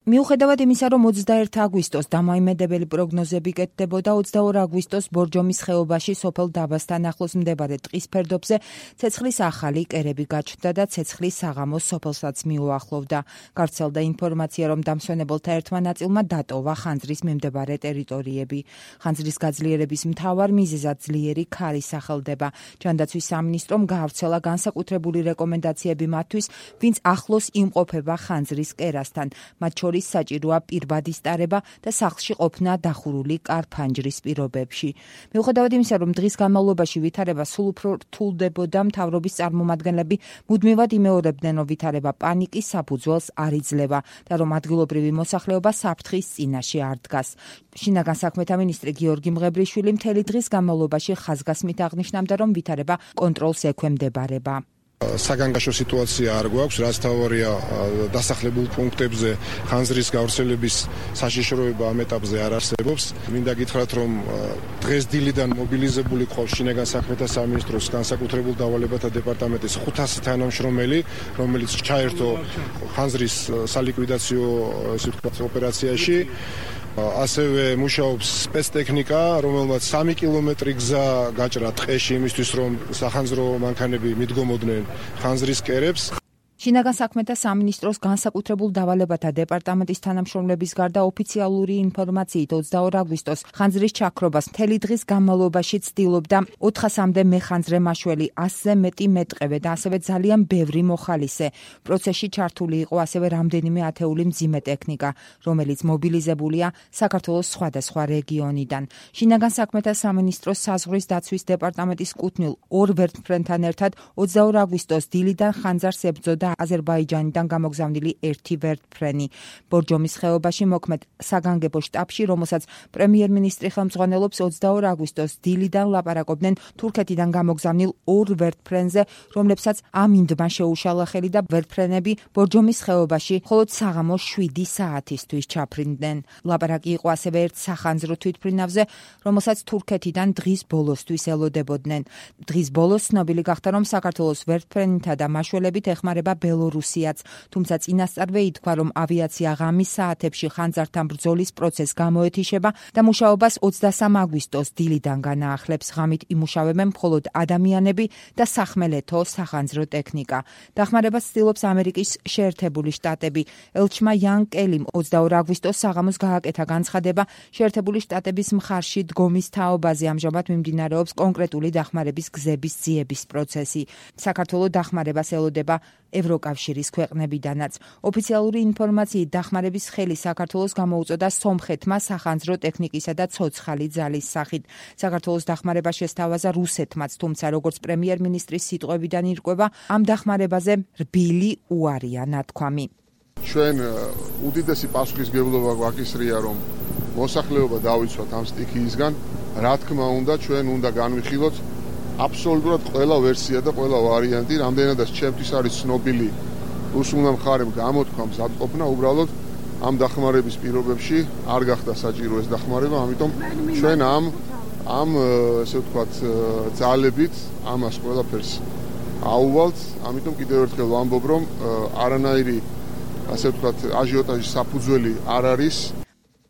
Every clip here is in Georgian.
მიუხედავად იმისა, რომ 21 აგვისტოს დამოიმედებელი პროგნოზები კეთდებოდა, 22 აგვისტოს ბორჯომის ხეობაში სოფელ დაბასთან ახლოს მდებარე ტყის ფერდობზე ცეცხლის ახალი კერები გაჩნდა და ცეცხლის საღამოს სოფელსაც მიუახლოვდა. გავრცელდა ინფორმაცია, რომ დამსვენებელთა ერთმა ნაწილმა დატოვა ხანძრის მიმდებარე ტერიტორიები. ხანძრის გაძლიერების მთავარ მიზეზად ძლიერი ქარი სახელდება. ჯანდაცვის სამინისტრომ გაავრცელა განსაკუთრებული რეკომენდაციები მათთვის, ვინც ახლოს იმყოფება ხანძრის კერასთან. მათ შორის საჭიროა პირბადის ტარება და სახლში ყოფნა დახურული კარ-ფანჯრის პირობებში. მიუხედავად იმისა, რომ დღის განმავლობაში ვითარება სულ უფრო რთულდებოდა, მთავრობის წარმომადგენლები მუდმივად იმეორებდნენ, რომ ვითარება პანიკის საფუძველს არ იძლევა და რომ ადგილობრივი მოსახლეობა საფრთხის წინაშე არ დგას. შინაგან საქმეთა მინისტრი გიორგი მღებრიშვილი მთელი დღის განმავლობაში ხაზგასმით აღნიშნავდა, რომ ვითარება კონტროლს ექვემდებარება. საგანგაშო სიტუაცია არ გვაქვს, რაც თავარია დასახლებულ პუნქტებზე ხანძრის გავრცელების საშიშროება ამ ეტაპზე არ არსებობს. მინდა გითხრათ, რომ დღეს დილიდან მობილიზებული ყავს შინაგან საქმეთა სამინისტროს განსაკუთრებულ დავალებათა დეპარტამენტის 500 თანამშრომელი, რომელიც ჩაერთო ხანძრის სალიკვიდაციო ოპერაციაში. ასევე მუშაობს სპეცტექნიკა, რომელმაც 3 კილომეტრი გზა გაჭრა ტყეში იმისთვის, რომ სახანძრო მანქანები მიდგომოდნენ ხანძრის კერებს. შინაგან საქმეთა სამინისტროს განსაკუთრებულ დავალებათა დეპარტამენტის თანამშრომლების გარდა ოფიციალური ინფორმაციით 22 აგვისტოს ხანძრის ჩაქრობას მთელი დღის განმავლობაში ცდილობდა 400-მდე მეხანძრე მაშველი, 100-ზე მეტი მეტყევე და ასევე ძალიან ბევრი მოხალისე. პროცესში ჩართული იყო ასევე რამდენიმე ათეული მძიმე ტექნიკა, რომელიც მობილიზებულია საქართველოს სხვადასხვა რეგიონიდან. შინაგან საქმეთა სამინისტროს საზღვრის დაცვის დეპარტამენტის კუთვნილ 2 ვერტმფრენთან ერთად 22 აგვისტოს დილიდან ხანძარს ებრძოდა აზერბაიჯანიდან გამოგზავნილი 1 ვერტმფრენი. ბორჯომის ხეობაში მოქმედ საგანგებო შტაბში, რომელსაც პრემიერ-მინისტრი ხელმძღვანელობს, 22 აგვისტოს დილიდან ლაპარაკობდნენ თურქეთიდან გამოგზავნილ 2 ვერტმფრენზე, რომლებსაც ამინდმა შეუშალა ხელი და ვერტმფრენები ბორჯომის ხეობაში მხოლოდ საღამოს 7 საათისთვის ჩაფრინდნენ. ლაპარაკი იყო ასევე ერთ სახანძრო თვითმფრინავზე, რომელსაც თურქეთიდან დღის ბოლოსთვის ელოდებოდნენ. დღის ბოლოს ცნობილი გახდა, რომ საქართველოს ვერტმფრენითა და მაშველებით ეხმარება ბელორუსიაც, თუმცა წინასწარვე ითქვა, რომ ავიაცია ღამის საათებში ხანძართან ბრძოლის პროცესს გამოეთიშება და მუშაობას 23 აგვისტოს დილიდან განაახლებს. ღამით იმუშავებენ მხოლოდ ადამიანები და სახმელეთო სახანძრო ტექნიკა. დახმარებას ცდილობს ამერიკის შეერთებული შტატები. ელჩმა იან კელიმ 22 აგვისტოს საღამოს გააკეთა განცხადება, შეერთებული შტატების მხარში დგომის თაობაზე ამჟამად მიმდინარეობს კონკრეტული დახმარების გზების ძიების პროცესი. საქართველოს დახმარებას ელოდება ევროკავშირის ქვეყნებიდანაც. ოფიციალური ინფორმაციით დახმარების ხელი საქართველოს გამოუწოდა სომხეთმა სახანძრო ტექნიკისა და ცოცხალი ძალის სახით. საქართველოს დახმარება შესთავაზა რუსეთმაც, თუმცა როგორც პრემიერ-მინისტრის სიტყვებიდან ირკვევა, ამ დახმარებაზე რბილი უარია ნათქვამი. ჩვენ უდიდესი პასუხისმგებლობა გვაკისრია, რომ მოსახლეობა დავიცვათ ამ სტიქიისგან. რა თქმა უნდა, ჩვენ უნდა განვიხილოთ აბსოლუტურად ყველა ვერსია და ყველა ვარიანტი, რამდენადაც ჩემთვის არის ცნობილი რუსულმა მხარემ გამოთქვა მზადყოფნა, უბრალოდ ამ დახმარების პირობებში არ გახდა საჭირო ეს დახმარება, ამიტომ ჩვენ ამ ესე ვთქვათ ძალებით ამას ყველაფერს აუვალთ, ამიტომ კიდევ ერთხელ ვამბობ, რომ არანაირი ასე ვთქვათ აჟიოტაჟის საფუძველი არ არის.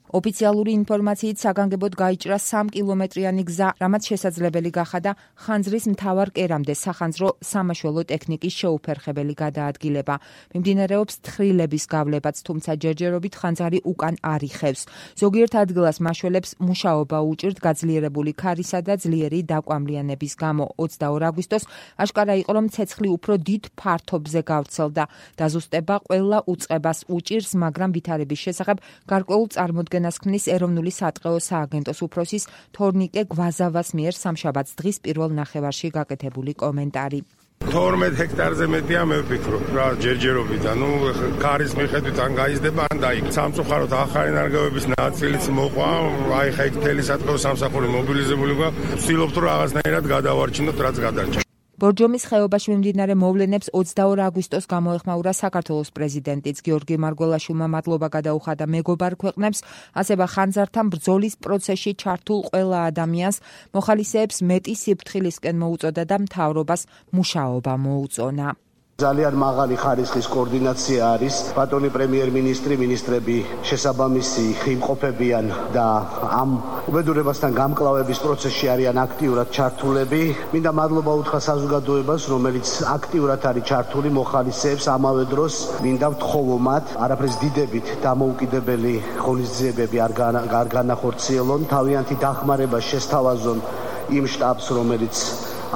ოფიციალური ინფორმაციით საგანგებოდ გაიჭრა 3 კილომეტრიანი გზა, რამაც შესაძლებელი გახადა ხანძრის მთავარ კერამდე სახანძრო სამაშველო ტექნიკის შეუფერხებელი გადაადგილება. მიმდინარეობს თხრილების გავლებაც, თუმცა ჯერჯერობით ხანძარი უკან არ იხევს. ზოგიერთ ადგილას მაშველებს მუშაობა უჭირთ გაძლიერებული ქარისა და ძლიერი დაკვამლიანების გამო. 22 აგვისტოს აშკარა იყო, რომ ცეცხლი უფრო დიდ ფართობზე გავრცელდა. დაზუსტება ყველა უწყებას უჭირს, მაგრამ ვითარების შესახებ გარკვეულ წარმოდგენას ქმნის ეროვნული სატყეო სააგენტოს უფროსის თორნიკე გვაზავას მიერ სამშაბათს დღის პირველ ნახევარში გაკეთებული კომენტარი. 12 ჰექტარზე მეტია მე ვფიქრობ რა ჯერჯერობით, ანუ ქარის მიხედვით ან გაიზრდება ან დაიგებს. სამწუხაროდ ახალი ნარგავების ნაწილიც მოყვა, აი ხა იქ მთელი სატყეო სამსახური მობილიზებული გვაქვს. ვცდილობთ რომ რაღაცნაირად გადავარჩინოთ რაც გადარჩა. ბორჯომის ხეობაში მიმდინარე მოვლენებს 22 აგვისტოს გამოეხმაურა საქართველოს პრეზიდენტიც. გიორგი მარგველაშვილმა მადლობა გადაუხადა მეგობარ ქვეყნებს, ასევე ხანძართან ბრძოლის პროცესში ჩართულ ყველა ადამიანს, მოხალისეებს მეტი სიფრთხილისკენ მოუწოდა და მთავრობას მუშაობა მოუწონა. ძალიან მაღალი ხარისხის კოორდინაცია არის. ბატონი პრემიერ-მინისტრი, მინისტრები შესაბამისი იმყოფებიან და ამ უბედურებასთან გამკლავების პროცესში არიან აქტიურად ჩართულები. მინდა მადლობა უთხრა საზოგადოებას, რომელიც აქტიურად არის ჩართული, მოხალისეებს ამავე დროს მინდა ვთხოვო მათ, არაფრის დიდებით დამოუკიდებელი ღონისძიებები არ განახორციელონ, თავიანთი დახმარება შესთავაზონ იმ შტაბს, რომელიც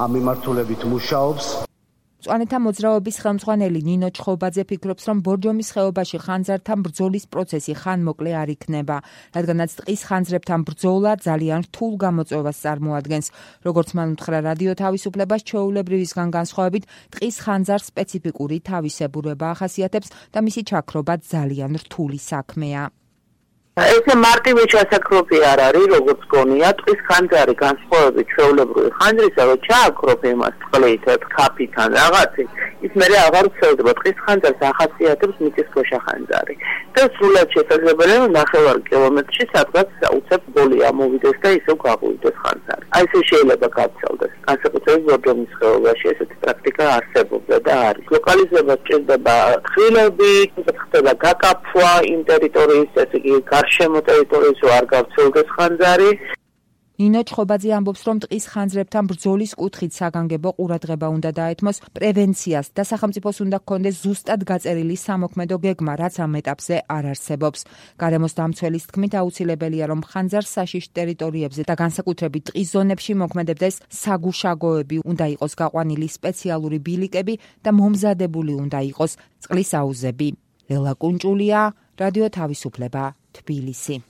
ამ მიმართულებით მუშაობს. მწვანეთა მოძრაობის ხელმძღვანელი ნინო ჩხობაძე ფიქრობს, რომ ბორჯომის ხეობაში ხანძართან ბრძოლის პროცესი ხანმოკლე არ იქნება, რადგანაც ტყის ხანძრებთან ბრძოლა ძალიან რთულ გამოწვევას წარმოადგენს. როგორც მან უთხრა რადიო თავისუფლებას, ჩვეულებრივისგან განსხვავებით, ტყის ხანძარს სპეციფიკური თავისებურება ახასიათებს და მისი ჩაქრობა ძალიან რთული საქმეა. ესე მარტივი ჩასაქრობი არ არის, როგორც გონია, ტყის ხანძარი განსხვავებით ჩვეულებრივი ხანძრისა, რომ ჩააქრობ იმას წყლით, ქაფითან რაღაცით, ის მერე აღარ ვრცელდება. ტყის ხანძარს ახასიათებს მიწისქვეშა ხანძარი. და სრულად შესაძლებელია, რომ 9 კილომეტრში სადღაც უცებ ბოლი ამოვიდეს და ისევ გაღვივდეს ხანძარი. აი ესე შეიძლება გაცელდეს. განსაკუთრებით ბორჯომის ხეობაში ესეთი პრაქტიკა არსებობდა და არის. ლოკალიზება სჭირდება ხილები, ხდება გაკაფვა იმ ტერიტორიის, ესე იგი გარშემო ტერიტორიის არ გავრცელდეს ხანძარი. ნინო ჩხობაძე ამბობს, რომ ტყის ხანძრებთან ბრძოლის კუთხით საგანგებო ყურადღება უნდა დაეთმოს პრევენციას და სახელმწიფოს უნდა ჰქონდეს ზუსტად გაწერილი სამოქმედო გეგმა, რაც ამ ეტაპზე არ არსებობს. გარემოს დამცველის თქმით, აუცილებელია, რომ ხანძარ საშიშ ტერიტორიებზე და განსაკუთრებით ტყის ზონებში მოქმედებდეს საგუშაგოები, უნდა იყოს გაყვანილი სპეციალური ბილიკები და მომზადებული უნდა იყოს წყლის აუზები. ლელა კუნჭულია, რადიო თავისუფლება, თბილისი.